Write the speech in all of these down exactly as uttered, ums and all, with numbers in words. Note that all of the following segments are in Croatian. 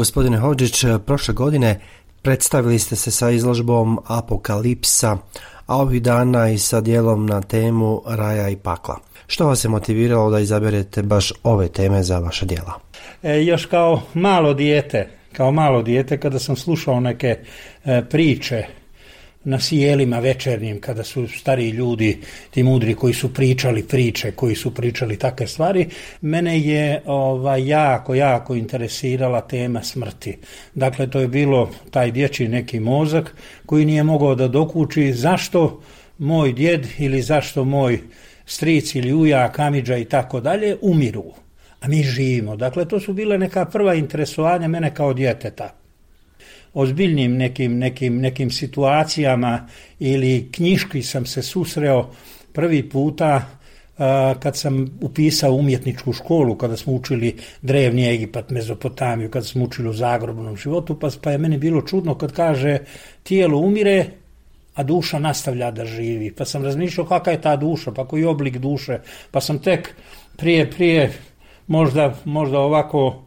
Gospodine Hodžić, prošle godine predstavili ste se sa izložbom Apokalipsa, a ovih dana i sa dijelom na temu raja i pakla. Što vas je motiviralo da izaberete baš ove teme za vaše djela? E, još kao malo dijete, kao malo dijete kada sam slušao neke e, priče na sjelima večernjim, kada su stariji ljudi, ti mudri koji su pričali priče, koji su pričali takve stvari, mene je ovaj, jako, jako interesirala tema smrti. Dakle, to je bilo taj dječji neki mozak koji nije mogao da dokuči zašto moj djed ili zašto moj stric ili ujak, amidža i tako dalje umiru, a mi živimo. Dakle, to su bile neka prva interesovanja mene kao djeteta. Ozbiljnim nekim, nekim, nekim situacijama ili knjiški sam se susreo prvi puta uh, kad sam upisao umjetničku školu, kada smo učili drevni Egipat, Mezopotamiju, kada smo učili o zagrobnom životu, pa, pa je meni bilo čudno kad kaže tijelo umire, a duša nastavlja da živi. Pa sam razmišljao kakva je ta duša, pa koji oblik duše, pa sam tek prije, prije možda, možda ovako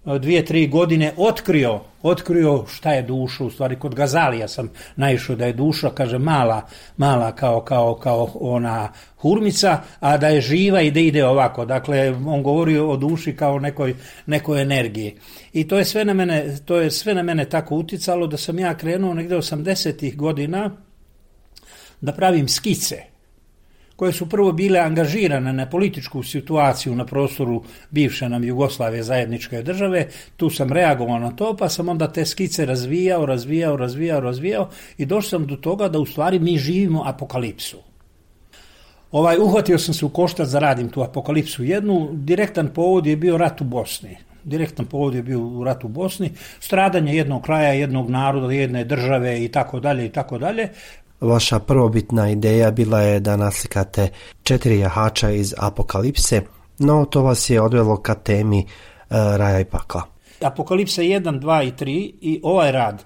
dvije, tri godine otkrio, otkrio šta je duša. U stvari kod Gazalija sam naišao da je duša, kaže, mala, mala kao, kao, kao ona hurmica, a da je živa i da ide ovako. Dakle, on govori o duši kao nekoj, nekoj energiji. I to je sve na mene, to je sve na mene tako uticalo da sam ja krenuo negdje osamdesetih godina da pravim skice koje su prvo bile angažirane na političku situaciju na prostoru bivše nam Jugoslavije zajedničke države. Tu sam reagovao na to, pa sam onda te skice razvijao, razvijao, razvijao, razvijao i došao sam do toga da u stvari mi živimo apokalipsu. Ovaj, uhvatio sam se u koštac da radim tu apokalipsu jednu. Direktan povod je bio rat u Bosni. Direktan povod je bio u ratu u Bosni, stradanje jednog kraja, jednog naroda, jedne države i tako dalje i tako dalje. Vaša prvobitna ideja bila je da naslikate četiri jahača iz Apokalipse, no to vas je odvelo ka temi e, raja i pakla. Apokalipsa jedan, dva i tri i ovaj rad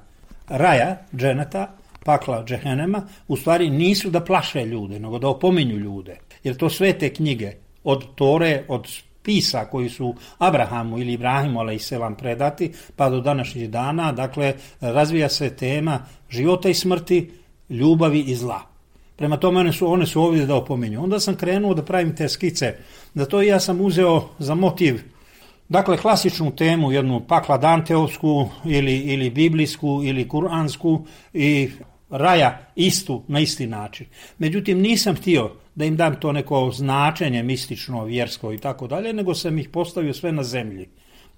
raja, dženeta, pakla, džehenema, u stvari nisu da plaše ljude, nego da opominju ljude. Jer to sve te knjige, od Tore, od spisa koji su Abrahamu ili Ibrahimu alejselam predati, pa do današnjih dana, dakle, razvija se tema života i smrti, ljubavi i zla. Prema tome one su, one su ovdje da opominju. Onda sam krenuo da pravim te skice. Da to ja sam uzeo za motiv, dakle, klasičnu temu, jednu pakla danteovsku ili, ili biblijsku ili kuransku i raja istu na isti način. Međutim, nisam htio da im dam to neko značenje mistično, vjersko i tako dalje, nego sam ih postavio sve na zemlji.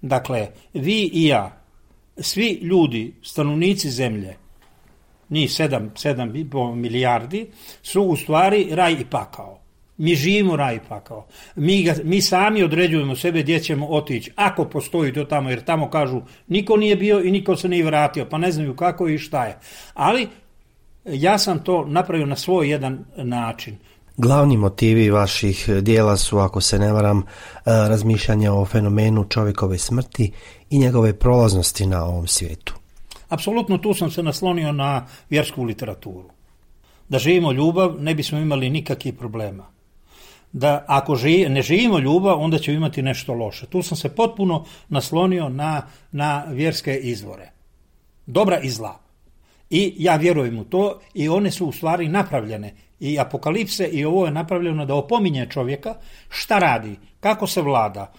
Dakle, vi i ja, svi ljudi, stanovnici zemlje, njih sedam, sedam milijardi, su u stvari raj i pakao. Mi živimo raj i pakao. Mi, ga, mi sami određujemo sebe gdje ćemo otići, ako postoji to tamo, jer tamo kažu niko nije bio i niko se nije vratio, pa ne znaju kako i šta je. Ali ja sam to napravio na svoj jedan način. Glavni motivi vaših dijela su, ako se ne varam, razmišljanja o fenomenu čovjekove smrti i njegove prolaznosti na ovom svijetu. Apsolutno tu sam se naslonio na vjersku literaturu. Da živimo ljubav, ne bismo imali nikakvih problema. Da ako živ, ne živimo ljubav, onda ćemo imati nešto loše. Tu sam se potpuno naslonio na, na vjerske izvore. Dobra i zla. I ja vjerujem u to i one su u stvari napravljene. I Apokalipse i ovo je napravljeno da opominje čovjeka šta radi, kako se vlada,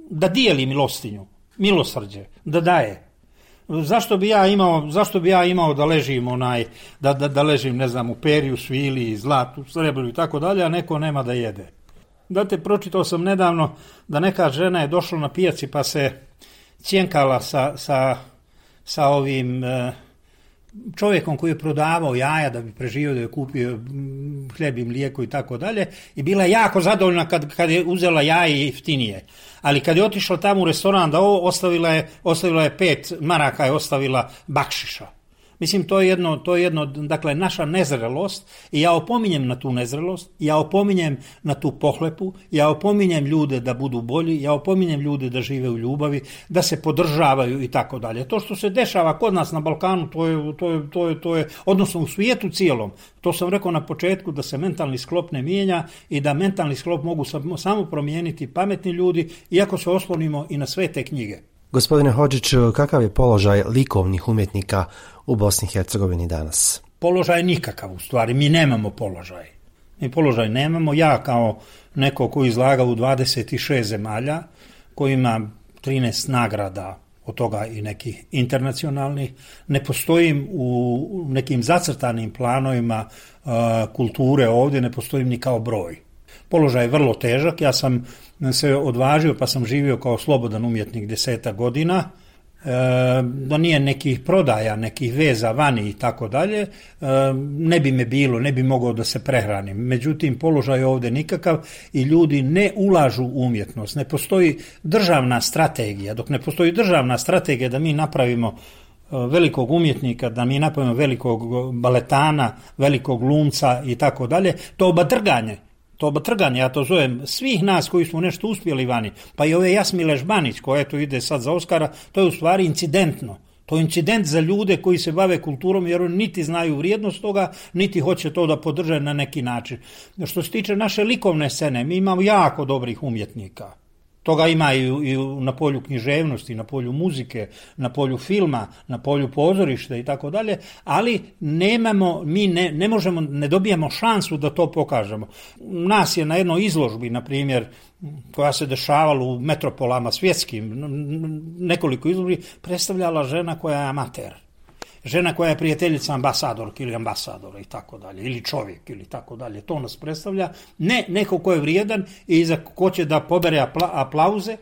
da dijeli milostinju, milosrđe, da daje. Zašto bi ja imao, zašto bi ja imao da ležim onaj, da, da, da ležim, ne znam, u periju, svili, zlatu, srebru i tako dalje, a neko nema da jede. Date, pročitao sam nedavno da neka žena je došla na pijaci pa se cjenkala sa, sa, sa ovim e, čovjekom koji je prodavao jaja da bi preživio, da je kupio hljeb i mlijeko i tako dalje, i bila je jako zadovoljna kad, kad je uzela jaje jeftinije. Ali kad je otišla tamo u restoran da ovo, ostavila je, ostavila je pet maraka, je ostavila bakšiša. Mislim, to je jedno, to je jedno, dakle, naša nezrelost i ja opominjem na tu nezrelost, ja opominjem na tu pohlepu, ja opominjem ljude da budu bolji, ja opominjem ljude da žive u ljubavi, da se podržavaju i tako dalje. To što se dešava kod nas na Balkanu, to je, to je, to je, to je, odnosno u svijetu cijelom, to sam rekao na početku, da se mentalni sklop ne mijenja i da mentalni sklop mogu samo promijeniti pametni ljudi, iako se oslonimo i na sve te knjige. Gospodine Hodžić, kakav je položaj likovnih umjetnika u Bosni i Hercegovini danas? Položaj nikakav u stvari, mi nemamo položaj. Mi položaj nemamo, ja kao neko koji izlaga u dvadeset šest zemalja, koji ima trinaest nagrada, od toga i nekih internacionalnih, ne postojim u nekim zacrtanim planovima uh, kulture ovdje, ne postojim ni kao broj. Položaj je vrlo težak, ja sam se odvažio pa sam živio kao slobodan umjetnik desetak godina, e, da nije nekih prodaja, nekih veza vani i tako dalje, e, ne bi me bilo, ne bi mogao da se prehranim. Međutim, položaj je ovdje nikakav i ljudi ne ulažu u umjetnost, ne postoji državna strategija, dok ne postoji državna strategija da mi napravimo velikog umjetnika, da mi napravimo velikog baletana, velikog glumca i tako dalje, to obatrganje. To obatrganje, ja to zovem, svih nas koji smo nešto uspjeli vani, pa i ove Jasmile Žbanić koja eto ide sad za Oskara, to je u stvari incidentno. To je incident za ljude koji se bave kulturom jer oni niti znaju vrijednost toga, niti hoće to da podrže na neki način. Što se tiče naše likovne scene, mi imamo jako dobrih umjetnika. Toga ima i, i na polju književnosti, na polju muzike, na polju filma, na polju pozorišta i tako dalje, ali nemamo, mi ne, ne možemo, ne dobijamo šansu da to pokažemo. Nas je na jednoj izložbi, na primjer, koja se dešavala u metropolama svjetskim, nekoliko izložbi, predstavljala žena koja je amater. Žena koja je prijateljica ambasadorka ili ambasadora i tako dalje, ili čovjek ili tako dalje, to nas predstavlja. Ne neko ko je vrijedan i za ko će da pobere apla, aplauze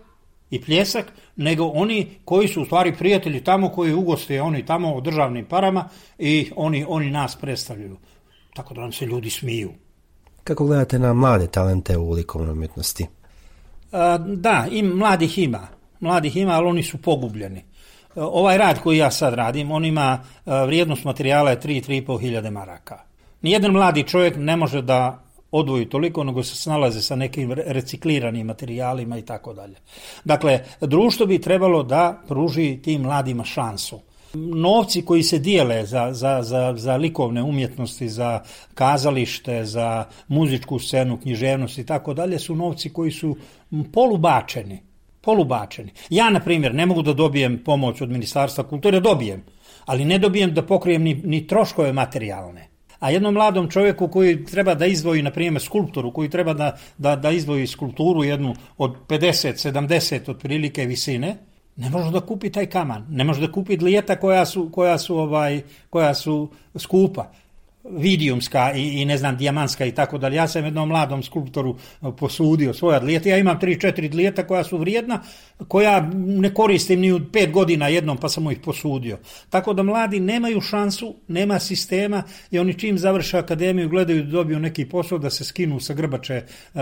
i pljesak, nego oni koji su u stvari prijatelji tamo, koji ugoste oni tamo o državnim parama i oni, oni nas predstavljaju. Tako da nam se ljudi smiju. Kako gledate na mlade talente u likovnoj umjetnosti? A, da, im, mladih ima. Mladih ima, ali oni su pogubljeni. Ovaj rad koji ja sad radim, on ima vrijednost materijala je tri do tri i pol hiljade maraka. Nijedan mladi čovjek ne može da odvoji toliko, nego se snalaze sa nekim recikliranim materijalima i tako dalje. Dakle, društvo bi trebalo da pruži tim mladima šansu. Novci koji se dijele za, za, za, za likovne umjetnosti, za kazalište, za muzičku scenu, književnost i tako dalje, su novci koji su polubačeni. polubačeni. Ja, na primjer, ne mogu da dobijem pomoć od Ministarstva kulture, dobijem, ali ne dobijem da pokrijem ni, ni troškove materijalne. A jednom mladom čovjeku koji treba da izdvoji, na primjer, skulptoru, koji treba da, da, da izdvoji skulpturu jednu od pedeset sedamdeset otprilike visine, ne može da kupi taj kaman, ne može da kupi dlijeta koja su, koja su, ovaj, koja su skupa. Vidijumska i, i ne znam, dijamantska i tako dalje. Ja sam jednom mladom skulptoru posudio svoja dlijeta. Ja imam tri četiri dlijeta koja su vrijedna, koja ne koristim ni u pet godina jednom, pa sam mu ih posudio. Tako da mladi nemaju šansu, nema sistema i oni čim završe akademiju gledaju da dobiju neki posao da se skinu sa grbače uh,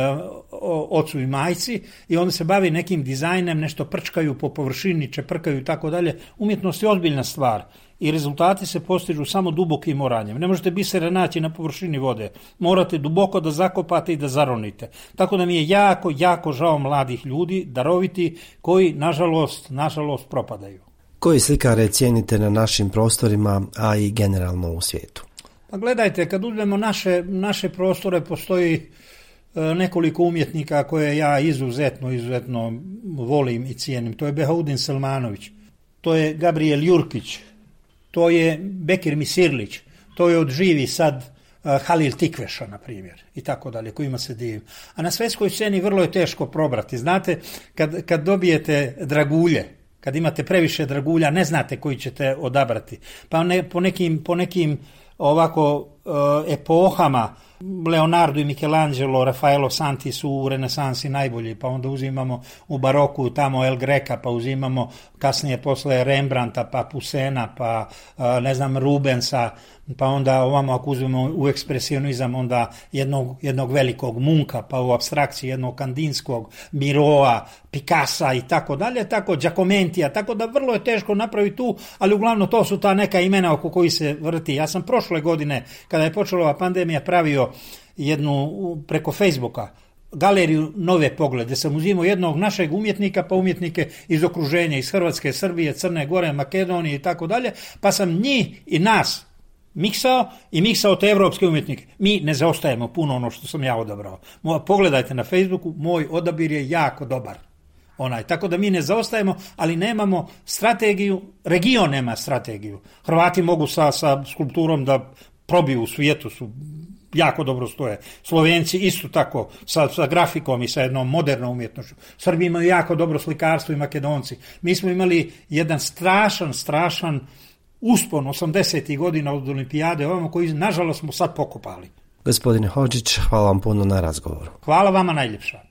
ocu i majci i onda se bavi nekim dizajnem, nešto prčkaju po površini, čeprkaju i tako dalje. Umjetnost je ozbiljna stvar. I rezultati se postižu samo dubokim oranjem. Ne možete bisere naći na površini vode. Morate duboko da zakopate i da zaronite. Tako da mi je jako, jako žao mladih ljudi, daroviti, koji, nažalost, nažalost propadaju. Koji slikare cijenite na našim prostorima, a i generalno u svijetu? Pa gledajte, kad uzmemo naše, naše prostore, postoji e, nekoliko umjetnika koje ja izuzetno, izuzetno volim i cijenim. To je Behaudin Selmanović, to je Gabriel Jurkić, to je Bekir Misirlić, to je od živi sad uh, Halil Tikveša, na primjer, i tako dalje, kojima se divim. A na svjetskoj sceni vrlo je teško probrati. Znate, kad, kad dobijete dragulje, kad imate previše dragulja, ne znate koji ćete odabrati. Pa ne, po nekim, po nekim ovako uh, epohama, Leonardo i Michelangelo, Raffaello Santi su u renesansi najbolji, pa onda uzimamo u baroku tamo El Greca, pa uzimamo kasnije posle Rembrandta, pa Pusena, pa ne znam Rubensa, pa onda ovamo ako uzmemo u ekspresionizam onda jednog, jednog velikog Munka, pa u apstrakciji jednog Kandinskog, Miroa, Picassa i tako dalje, tako Giacomentija, tako da vrlo je teško napraviti tu, ali uglavnom to su ta neka imena oko koji se vrti. Ja sam prošle godine, kada je počela ova pandemija, pravio jednu preko Facebooka galeriju Nove poglede, gdje sam uzimao jednog našeg umjetnika, pa umjetnike iz okruženja, iz Hrvatske, Srbije, Crne Gore, Makedonije i tako dalje, pa sam njih i nas miksao i miksao te evropske umjetnike. Mi ne zaostajemo puno ono što sam ja odabrao. Pogledajte na Facebooku, moj odabir je jako dobar. Onaj, tako da mi ne zaostajemo, ali nemamo strategiju, region nema strategiju. Hrvati mogu sa, sa skulpturom da probiju u svijetu, su jako dobro stoje. Slovenci isto tako, sa, sa grafikom i sa jednom modernom umjetnošću. Srbi imaju jako dobro slikarstvo i Makedonci. Mi smo imali jedan strašan, strašan uspon osamdesetih godina od olimpijade, ovamo koji nažalost smo sad pokopali. Gospodine Hodžić, hvala vam puno na razgovoru. Hvala vama najljepša.